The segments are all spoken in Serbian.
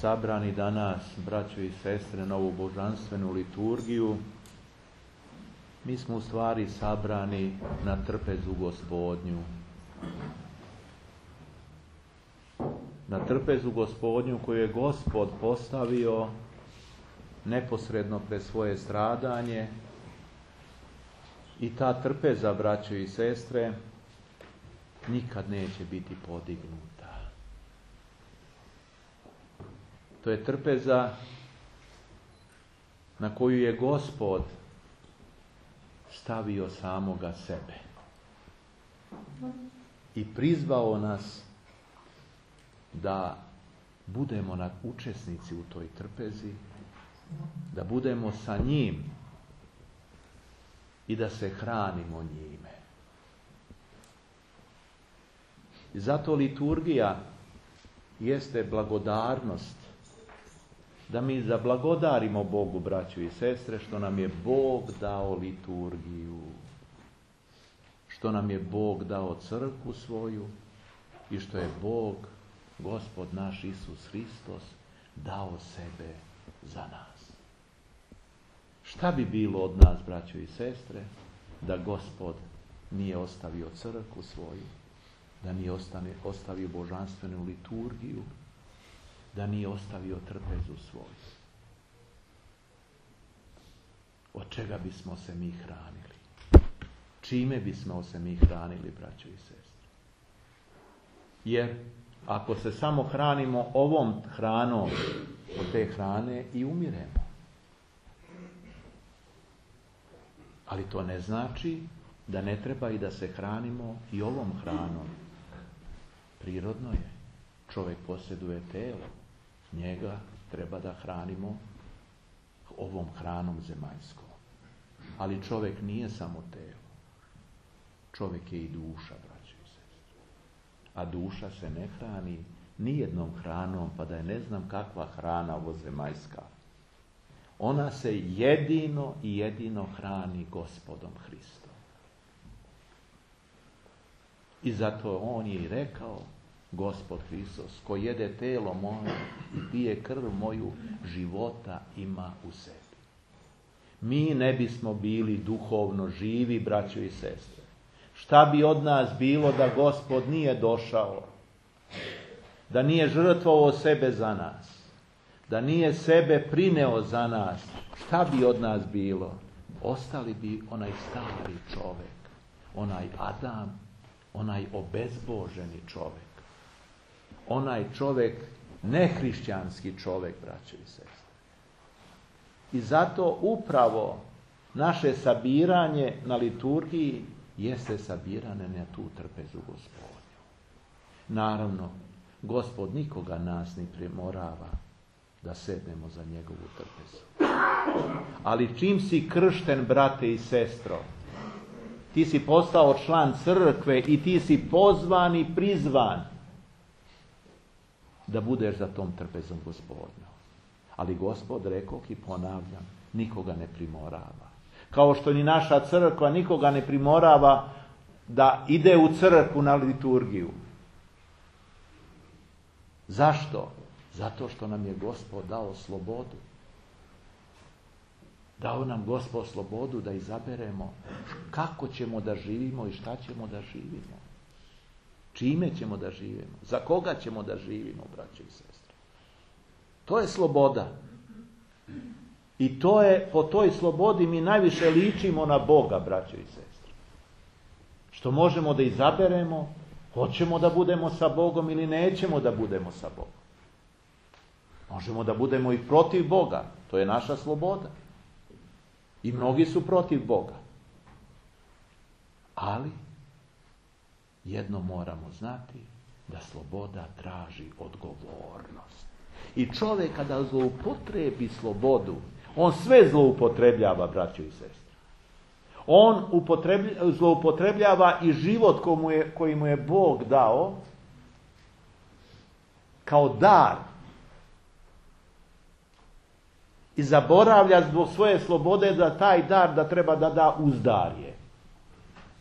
sabrani danas, braćo i sestre, na ovu božanstvenu liturgiju, mi smo u stvari sabrani na trpezu Gospodnju. Na trpezu Gospodnju koju je Gospod postavio neposredno pred svoje stradanje, i ta trpeza, braćo i sestre, nikad neće biti podignuta. To je trpeza na koju je Gospod stavio samoga sebe i prizvao nas da budemo učesnici u toj trpezi, da budemo sa njim i da se hranimo njime. I zato liturgija jeste blagodarnost, da mi zablagodarimo Bogu, braćo i sestre, što nam je Bog dao liturgiju, što nam je Bog dao crkvu svoju i što je Bog, Gospod naš Isus Hristos, dao sebe za nas. Šta bi bilo od nas, braćo i sestre, da Gospod nije ostavio crkvu svoju, da nije ostavio božanstvenu liturgiju, da nije ostavio trpezu svoju? Od čega bismo se mi hranili? Čime bismo se mi hranili, braćo i sestre? Jer ako se samo hranimo ovom hranom, od te hrane i umiremo. Ali to ne znači da ne treba i da se hranimo i ovom hranom. Prirodno je. Čovjek posjeduje telo. Njega treba da hranimo ovom hranom zemaljskom. Ali čovjek nije samo telo. Čovjek je i duša, braćo i sestre. A duša se ne hrani nijednom hranom, pa da je ne znam kakva hrana ovozemaljska. Ona se jedino i jedino hrani Gospodom Hristom. I zato on je i rekao, Gospod Hristos, ko jede telo moje i pije krv moju, života ima u sebi. Mi ne bismo bili duhovno živi, braćo i sestre. Šta bi od nas bilo da Gospod nije došao, da nije žrtvovao sebe za nas, da nije sebe prineo za nas? Šta bi od nas bilo? Ostali bi onaj stari čovjek, onaj Adam, onaj obezboženi čovjek, onaj čovjek, nehrišćanski čovjek, braćo i sestre. I zato upravo naše sabiranje na liturgiji jeste sabiranje na tu trpezu Gospodnju. Naravno, Gospod nikoga nas ne primorava da sednemo za njegovu trpezu. Ali čim si kršten, brate i sestro, ti si postao član crkve i ti si pozvan i prizvan da budeš za tom trpezom Gospodnjom. Ali Gospod, rekoh i ponavljam, nikoga ne primorava. Kao što ni naša crkva nikoga ne primorava da ide u crkvu na liturgiju. Zašto? Zato što nam je Gospod dao slobodu. Dao nam Gospod slobodu da izaberemo kako ćemo da živimo i šta ćemo da živimo. Čime ćemo da živimo. Za koga ćemo da živimo, braćo i sestre. To je sloboda. I to je, po toj slobodi mi najviše ličimo na Boga, braćo i sestre. Što možemo da izaberemo, hoćemo da budemo sa Bogom ili nećemo da budemo sa Bogom. Možemo da budemo i protiv Boga, to je naša sloboda. I mnogi su protiv Boga. Ali jedno moramo znati, da sloboda traži odgovornost. I čovjek kada zloupotrebi slobodu, on sve zloupotrebljava, braćo i sestre. On zloupotrebljava i život koji mu je Bog dao kao dar. I zaboravlja zbog svoje slobode da taj dar da treba da da uzdarje.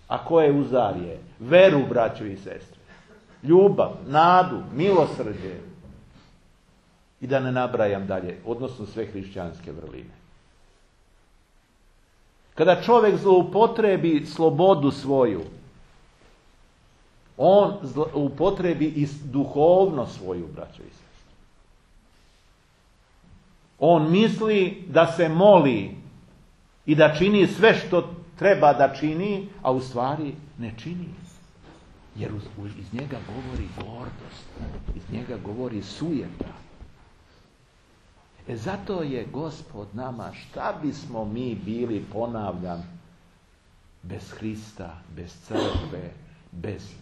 A koje uzdarje? Veru, braćo i sestre. Ljubav, nadu, milosrđe. I da ne nabrajam dalje, odnosno sve hrišćanske vrline. Kada čovjek zloupotrebi slobodu svoju, on upotrebi i duhovno svoju, braćo i sestre. On misli da se moli i da čini sve što treba da čini, a u stvari ne čini. Jer iz njega govori gordost, iz njega govori sujeta. Zato je Gospod nama, šta bismo mi bili, ponavljam, bez Hrista, bez crkve, bez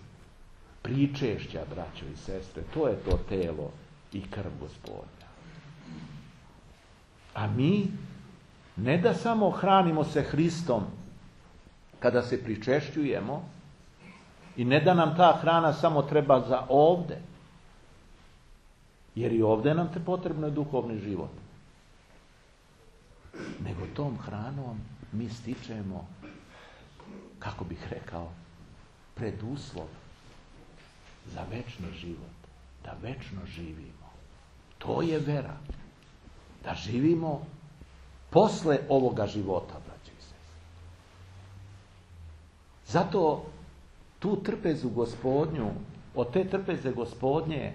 pričešća, braćo i sestre. To je to telo i krv Gospodnja. A mi ne da samo hranimo se Hristom kada se pričešćujemo i ne da nam ta hrana samo treba za ovde, jer i ovdje nam potrebno je duhovni život. Nego tom hranom mi stičemo, kako bih rekao, preduslov za večni život. Da večno živimo. To je vera. Da živimo posle ovoga života, braći i sestre. Zato tu trpezu Gospodnju, od te trpeze Gospodnje,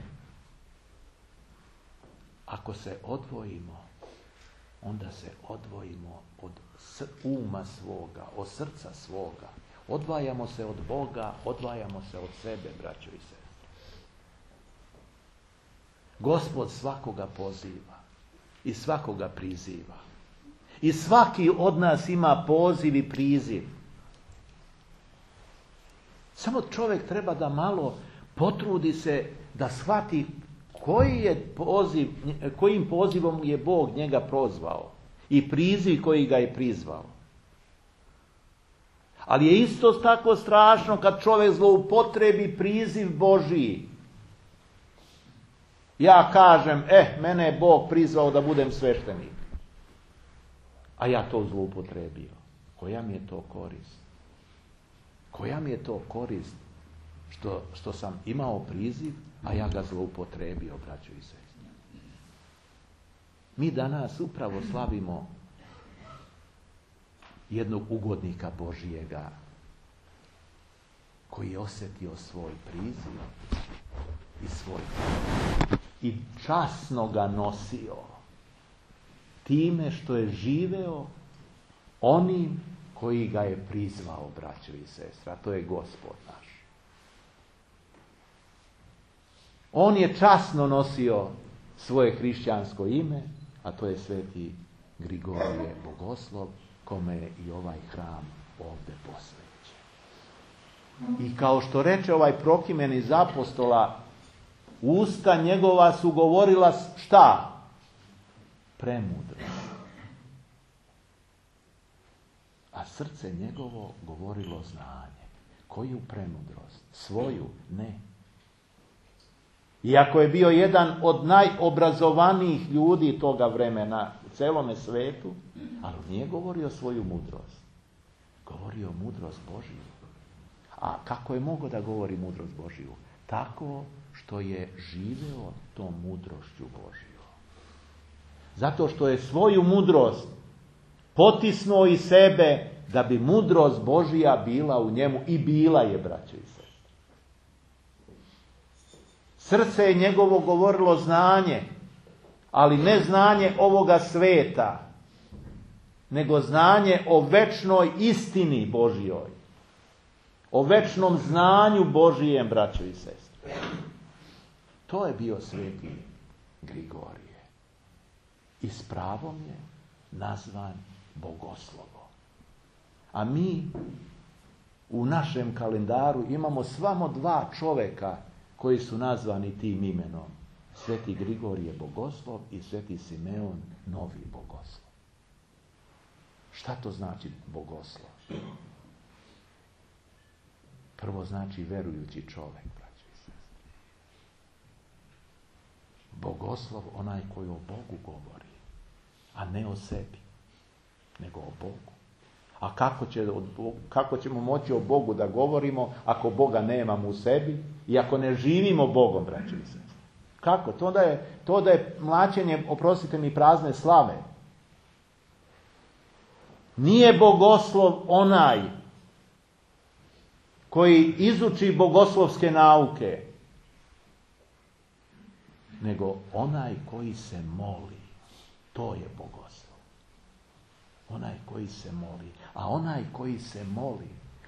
ako se odvojimo, onda se odvojimo od uma svoga, od srca svoga. Odvajamo se od Boga, odvajamo se od sebe, braćo i sestre. Gospod svakoga poziva i svakoga priziva. I svaki od nas ima poziv i priziv. Samo čovjek treba da malo potrudi se da shvati kojim pozivom je Bog njega prozvao i priziv koji ga je prizvao. Ali je isto tako strašno kad čovjek zloupotrebi priziv Božiji. Ja kažem, mene je Bog prizvao da budem sveštenik. A ja to zloupotrebio. Koja mi je to korist? Koja mi je to korist što sam imao priziv, a ja ga zloupotrebio, braćo i sestre? Mi danas upravo slavimo jednog ugodnika Božijega koji je osjetio svoj priziv i svoj i časno ga nosio time što je živeo onim koji ga je prizvao, braćo i sestre, a to je Gospod naš. On je časno nosio svoje hrišćansko ime, a to je sveti Grigorije Bogoslov, kome je i ovaj hram ovdje posvećen. I kao što reče ovaj Prokimen iz apostola, usta njegova su govorila šta? Premudro. A srce njegovo govorilo znanje. Koju premudrost? Svoju? Ne. Iako je bio jedan od najobrazovanijih ljudi toga vremena u celome svetu, ali nije govorio svoju mudrost. Govorio mudrost Božiju. A kako je mogao da govori mudrost Božiju? Tako što je živeo tom mudrošću Božiju. Zato što je svoju mudrost potisnuo iz sebe da bi mudrost Božija bila u njemu i bila je, braćo i sestre. Srce je njegovo govorilo znanje, ali ne znanje ovoga sveta, nego znanje o večnoj istini Božjoj, o večnom znanju Božijem, braćo i sestre. To je bio sveti Grigorije. I s pravom je nazvan Bogoslovom. A mi u našem kalendaru imamo samo 2 čoveka koji su nazvani tim imenom. Sveti Grigorije Bogoslov i sveti Simeon Novi Bogoslov. Šta to znači Bogoslov? Prvo znači verujući čovjek, braći i sestre. Bogoslov onaj koji o Bogu govori, a ne o sebi, nego o Bogu. A kako ćemo moći o Bogu da govorimo ako Boga nemamo u sebi i ako ne živimo Bogom, braći i sestre? Kako? To da je mlaćenje, oprostite mi, prazne slave. Nije bogoslov onaj koji izuči bogoslovske nauke, nego onaj koji se moli. To je bogoslov. Onaj koji se moli. A onaj koji se moli,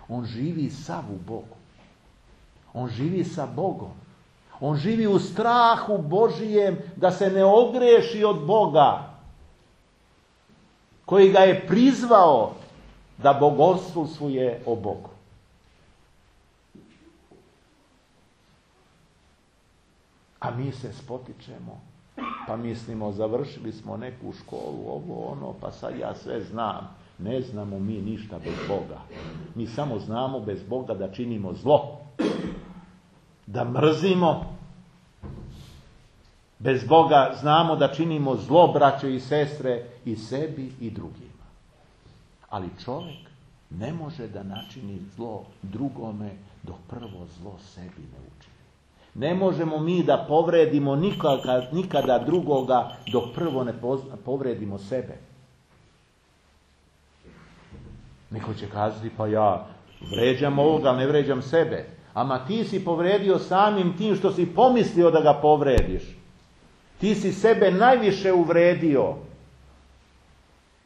on živi sav u Bogu. On živi sa Bogom. On živi u strahu Božijem da se ne ogreši od Boga, koji ga je prizvao da bogoslovuje o Bogu. A mi se spotičemo, pa mislimo, završili smo neku školu, ovo, ono, pa sad ja sve znam. Ne znamo mi ništa bez Boga. Mi samo znamo bez Boga da činimo zlo. Da mrzimo. Bez Boga znamo da činimo zlo, braćo i sestre, i sebi i drugima. Ali čovjek ne može da načini zlo drugome dok prvo zlo sebi ne učini. Ne možemo mi da povredimo nikada drugoga dok prvo ne povredimo sebe. Neko će kazati, pa ja vređam ovoga, ali ne vređam sebe. Ama ti si povredio samim tim što si pomislio da ga povrediš. Ti si sebe najviše uvredio.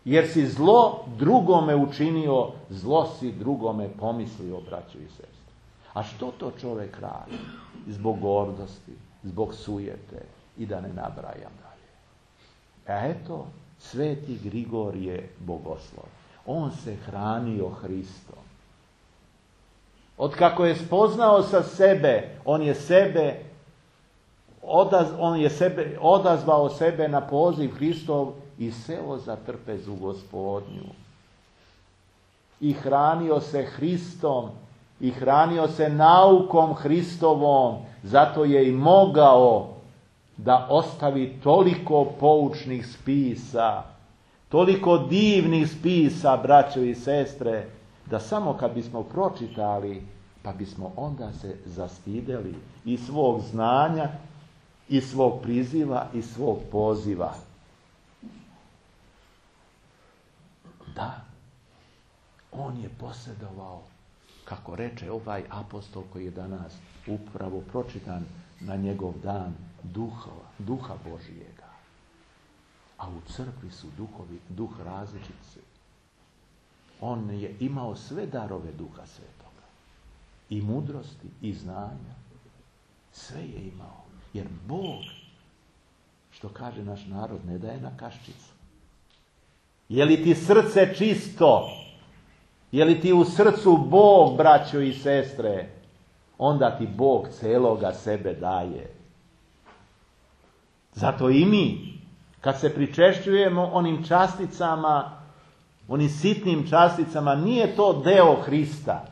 Jer si zlo drugome učinio, zlo si drugome pomislio, braćo i sestre. A što to čovjek radi? Zbog gordosti, zbog sujete i da ne nabrajam dalje. A eto, sveti Grigor je bogoslov. On se hranio Hristom. Otkako je spoznao sa sebe, on je odazvao sebe na poziv Hristov i seo za trpezu Gospodnju. I hranio se Hristom, i hranio se naukom Hristovom, zato je i mogao da ostavi toliko poučnih spisa, toliko divnih spisa, braćo i sestre, da samo kad bismo pročitali, pa bismo onda se zastideli i svog znanja, i svog priziva, i svog poziva. Da, on je posjedovao, kako reče ovaj apostol koji je danas upravo pročitan na njegov dan, duha Božijega. A u crkvi su duh različit. On je imao sve darove Duha Svetoga. I mudrosti, i znanja. Sve je imao. Jer Bog, što kaže naš narod, ne daje na kaščicu. Je li ti srce čisto? Je li ti u srcu Bog, braćo i sestre? Onda ti Bog celoga sebe daje. Zato i mi, kad se pričešćujemo onim časticama, onim sitnim časticama, nije to deo Hrista,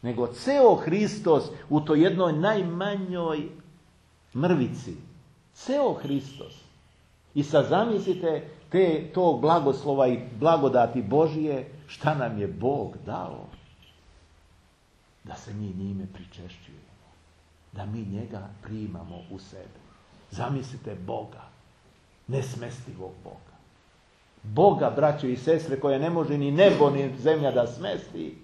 nego ceo Hristos u toj jednoj najmanjoj mrvici. Ceo Hristos. I sad zamislite tog blagoslova i blagodati Božije, šta nam je Bog dao? Da se mi njime pričešćujemo. Da mi njega primamo u sebe. Zamislite Boga. Nesmestivog Boga. Boga, braćo i sestre, koje ne može ni nebo ni zemlja da smesti,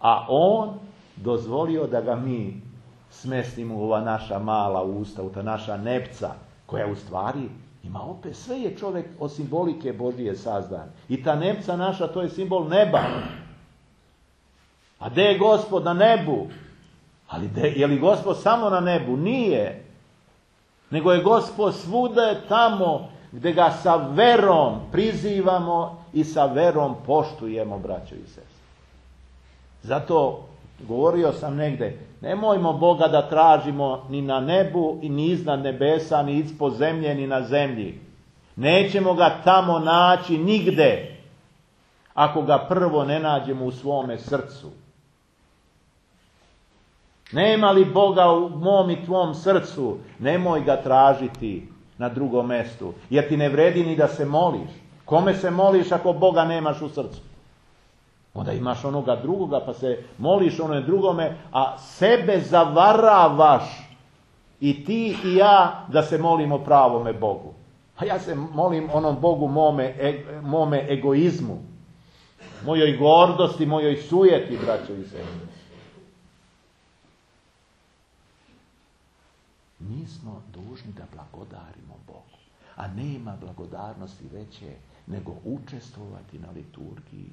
a on dozvolio da ga mi smestimo u ova naša mala usta, u ta naša nepca, koja u stvari ima opet, sve je čovjek od simbolike Božije sazdan. I ta nepca naša, to je simbol neba. A gdje je Gospod? Na nebu. Ali je li Gospod samo na nebu? Nije. Nego je Gospod svuda tamo gdje ga sa verom prizivamo i sa verom poštujemo, braćo i sestre. Zato govorio sam negdje, nemojmo Boga da tražimo ni na nebu, ni iznad nebesa, ni ispod zemlje, ni na zemlji. Nećemo ga tamo naći nigde, ako ga prvo ne nađemo u svome srcu. Nema li Boga u mom i tvom srcu, nemoj ga tražiti na drugom mjestu, jer ti ne vredi ni da se moliš. Kome se moliš ako Boga nemaš u srcu? Onda imaš onoga drugoga pa se moliš onome drugome, a sebe zavaravaš I ti i ja da se molimo pravome Bogu. A ja se molim onom Bogu mome egoizmu, mojoj gordosti, mojoj sujeti, braćo i sestre. Mi smo dužni da blagodarimo Bogu, a nema blagodarnosti veće nego učestvovati na liturgiji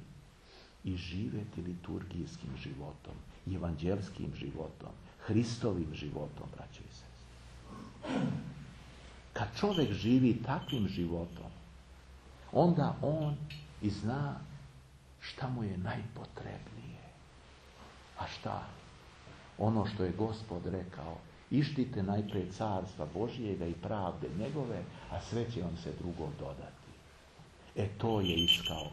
i živjeti liturgijskim životom, evanđelskim životom, Hristovim životom, braćo i sestre. Kad čovjek živi takvim životom, onda on i zna šta mu je najpotrebnije. A šta? Ono što je Gospod rekao, ištite najprije carstva Božijega i pravde njegove, a sve će vam se drugo dodati. To je iskao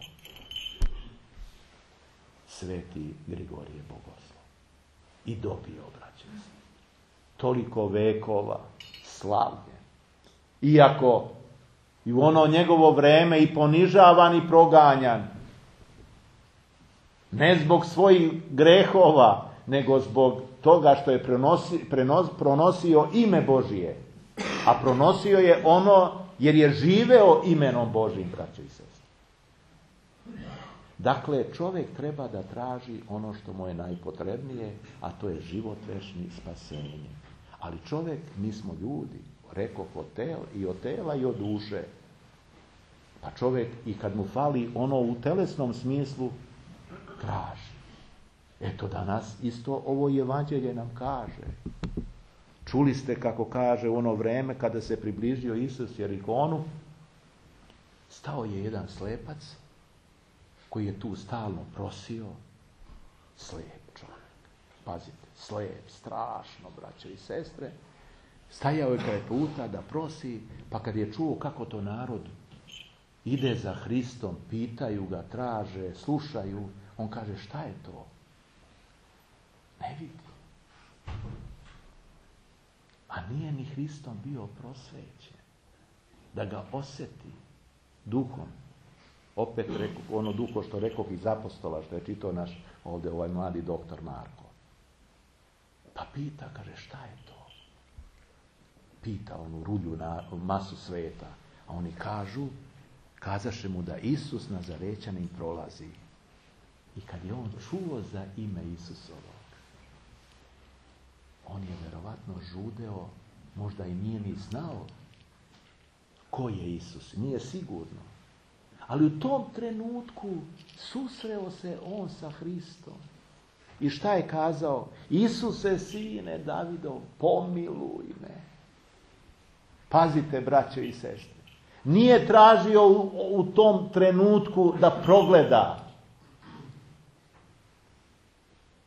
sveti Grigorije Bogoslov. I dobio, braćo i sestre. Toliko vekova slavlje. Iako i u ono njegovo vreme i ponižavan i proganjan, ne zbog svojih grehova, nego zbog toga što je pronosio ime Božije. A pronosio je ono jer je živeo imenom Božijim, braćo i sestre. Dakle, čovjek treba da traži ono što mu je najpotrebnije, a to je život večni, spasenje. Ali čovjek, mi smo ljudi, rekoh i od tela i od duše. Pa čovjek i kad mu fali ono u telesnom smislu, traži. Eto danas isto ovo evanđelje nam kaže. Čuli ste kako kaže u ono vreme kada se približio Isus Jerihonu, stao je jedan slepac koji je tu stalno prosio, slijep čovjek. Pazite, slijep, strašno, braćo i sestre. Stajao je kraj puta da prosi, pa kad je čuo kako to narod ide za Hristom, pitaju ga, traže, slušaju, on kaže, šta je to? Ne vidi. A nije ni Hristom bio prosvećen. Da ga osjeti duhom. Opet ono duho što rekao iz apostola, što je čitao naš ovdje ovaj mladi doktor Marko. Pa pita, kaže, šta je to? Pita onu rulju na masu sveta. A oni kazaše mu da Isus Nazarećanin prolazi. I kad je on čuo za ime Isusovog, on je verovatno žudeo, možda i nije ni znao ko je Isus, nije sigurno. Ali u tom trenutku susreo se on sa Hristom. I šta je kazao? Isuse, sine Davidov, pomiluj me. Pazite, braćo i sestre. Nije tražio u tom trenutku da progleda.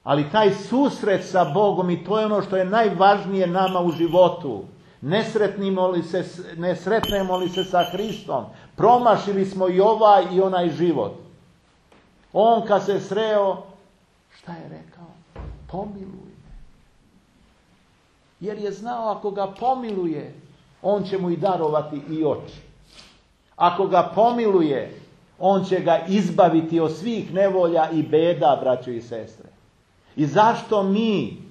Ali taj susret sa Bogom, i to je ono što je najvažnije nama u životu. Ne sretnemo li se sa Hristom, promašili smo i ovaj i onaj život. On kad se sreo, šta je rekao? Pomiluj me. Jer je znao ako ga pomiluje, on će mu i darovati i oči. Ako ga pomiluje, on će ga izbaviti od svih nevolja i beda, braćo i sestre. I zašto mi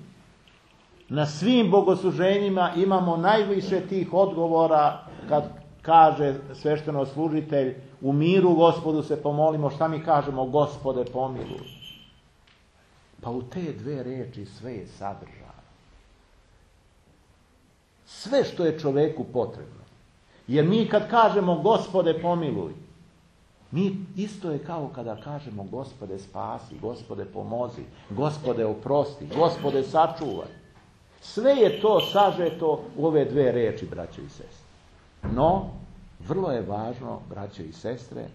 na svim bogosluženjima imamo najviše tih odgovora kad kaže sveštenoslужitelj u miru Gospodu se pomolimo, šta mi kažemo? Gospode pomiluj. Pa u te dve riječi sve je sadržano. Sve što je čovjeku potrebno. Jer mi kad kažemo Gospode pomiluj, mi isto je kao kada kažemo Gospode spasi, Gospode pomozi, Gospode oprosti, Gospode sačuvaj. Sve je to sažeto u ove dve riječi, braćo i sestre. No, vrlo je važno, braćo i sestre,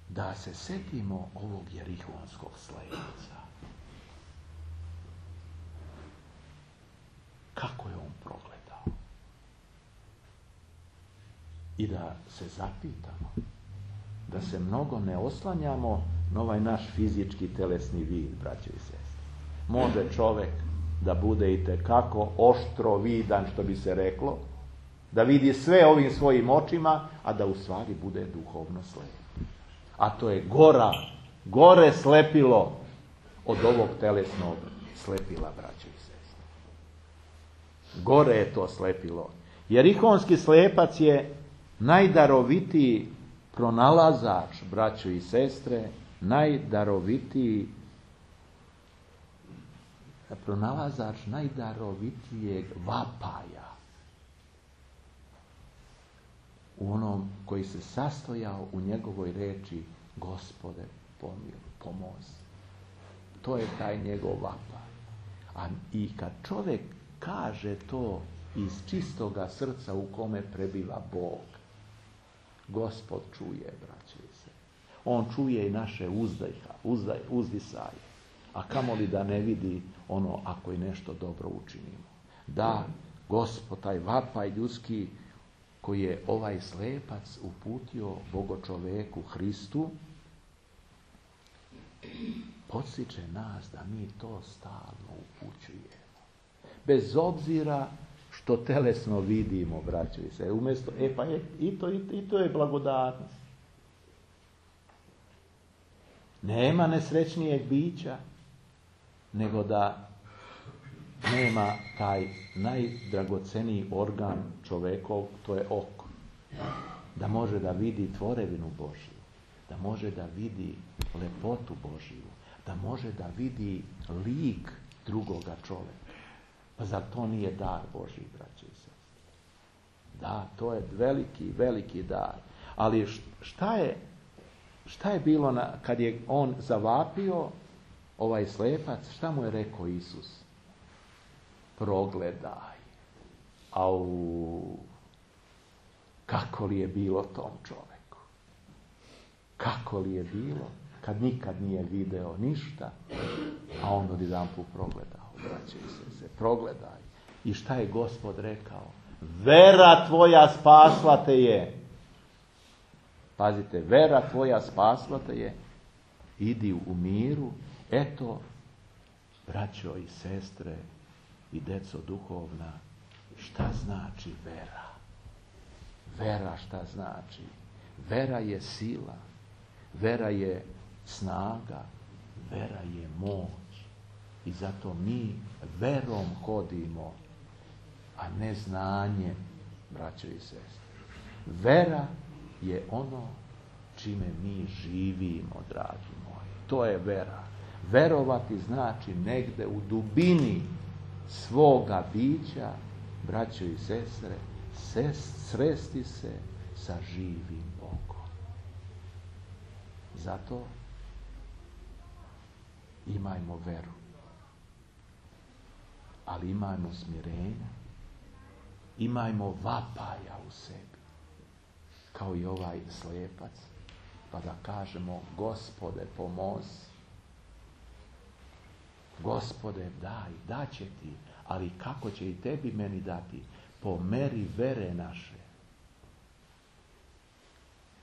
da se setimo ovog jerihonskog slepca. Kako je on progledao? I da se zapitamo, da se mnogo ne oslanjamo na ovaj naš fizički telesni vid, braćo i sestre. Može čovjek da bude itekako oštro vidan, što bi se reklo, da vidi sve ovim svojim očima, a da u stvari bude duhovno slep. A to je gore slepilo od ovog telesnog slepila, braćo i sestre. Gore je to slepilo. Jerikonski slepac je najdarovitiji pronalazač, braćo i sestre, najdarovitiji pronalazač najdarovitijeg vapaja u onom koji se sastojao u njegovoj reči: Gospode, pomozi. To je taj njegov vapaj. I kad čovjek kaže to iz čistoga srca u kome prebiva Bog, Gospod čuje, braće i sestre. On čuje i naše uzdisaje. A kamoli da ne vidi ono ako i nešto dobro učinimo. Da, Gospod, taj vapaj ljudski koji je ovaj slepac uputio Bogočoveku Hristu, podsjeća nas da mi to stalno upućujemo. Bez obzira što telesno vidimo, braćo i sestre. Umjesto, i to je blagodatnost. Nema nesrećnijeg bića nego da nema taj najdragoceniji organ čovekov, to je oko. Da može da vidi tvorevinu Božju, da može da vidi lepotu Božju, da može da vidi lik drugoga čoveka. Pa zar to nije dar Božji, braće i sestre? Da, to je veliki, veliki dar. Ali šta je bilo kad je on zavapio, ovaj slepac, šta mu je rekao Isus? Progledaj. Au, kako li je bilo tom čoveku? Kako li je bilo kad nikad nije video ništa, a on odjedanput progledao, braće i sestre, progledaj. I šta je Gospod rekao? Vera tvoja spasla te je. Pazite, vera tvoja spasla te je. Idi u miru. Eto, braćo i sestre i deco duhovna, šta znači vera? Vera šta znači? Vera je sila, vera je snaga, vera je moć. I zato mi verom hodimo, a ne znanjem, braćo i sestre. Vera je ono čime mi živimo, dragi moji. To je vera. Verovati znači negde u dubini svoga bića, braćo i sestre, sresti se sa živim Bogom. Zato imajmo veru, ali imajmo smirenja, imajmo vapaja u sebi, kao i ovaj slepac, pa da kažemo: Gospode, pomozi. Gospode, daće ti, ali kako će i tebi meni dati? Po meri vere naše.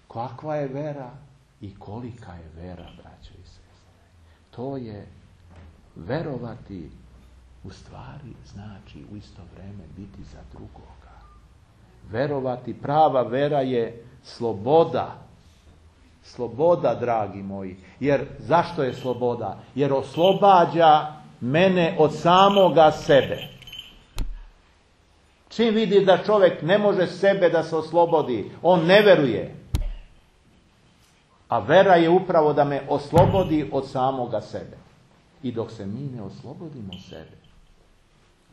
Kakva je vera i kolika je vera, braćo i sestre? To je verovati, u stvari znači u isto vrijeme biti za drugoga. Verovati, prava vera je sloboda. Sloboda, dragi moji. Jer zašto je sloboda? Jer oslobađa mene od samoga sebe. Čim vidi da čovjek ne može sebe da se oslobodi, on ne veruje. A vera je upravo da me oslobodi od samoga sebe. I dok se mi ne oslobodimo sebe,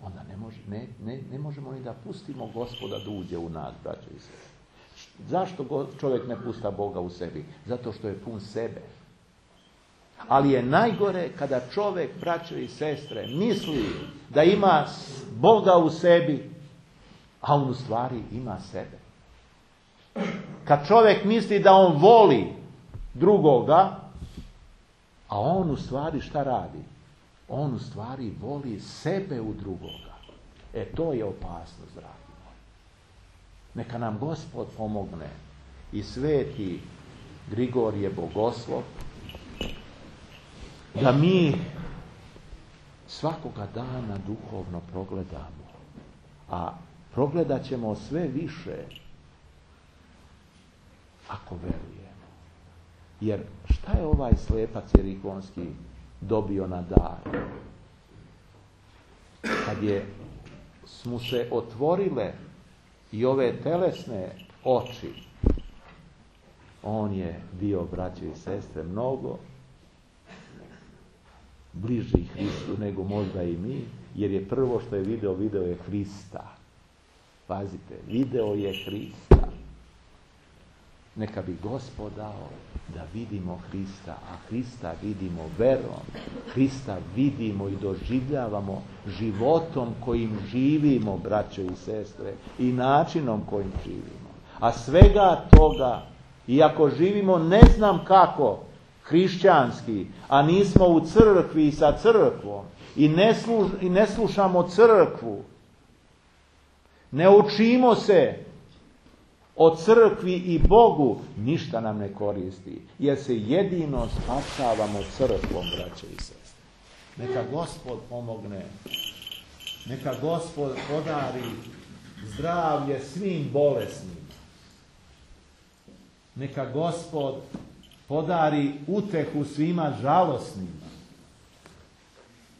onda ne možemo ni da pustimo Gospoda da uđe u nas, braćo i sestre. Zašto čovjek ne pusta Boga u sebi? Zato što je pun sebe. Ali je najgore kada čovjek, braćo i sestre, misli da ima Boga u sebi, a on u stvari ima sebe. Kad čovjek misli da on voli drugoga, a on u stvari šta radi? On u stvari voli sebe u drugoga. To je opasnost, dragi. Neka nam Gospod pomogne i sveti Grigorije Bogoslov da mi svakoga dana duhovno progledamo, a progledat ćemo sve više ako verujemo. Jer šta je ovaj slepac jerikonski dobio na dar. Kad mu se otvorile i ove telesne oči, on je bio, braće i sestre, mnogo bliži Hristu nego možda i mi, jer je prvo što je video je Hrista. Pazite, video je Hrista. Neka bi Gospod dao da vidimo Hrista, a Hrista vidimo verom. Hrista vidimo i doživljavamo životom kojim živimo, braćo i sestre, i načinom kojim živimo. A svega toga, iako živimo ne znam kako, hrišćanski, a nismo u crkvi i sa crkvom, i ne slušamo crkvu, ne učimo se o crkvi i Bogu, ništa nam ne koristi, jer se jedino spasavamo crkvom, braće i sestre. Neka Gospod pomogne, neka Gospod podari zdravlje svim bolesnima, neka Gospod podari utehu svima žalosnima,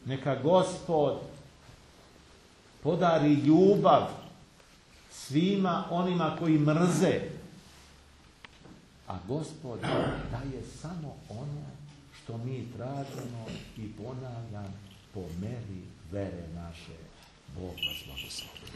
neka Gospod podari ljubav svima onima koji mrze, a Gospod daje samo ono što mi tražimo i ponavljam po meri vere naše. Bog vas blagoslovi.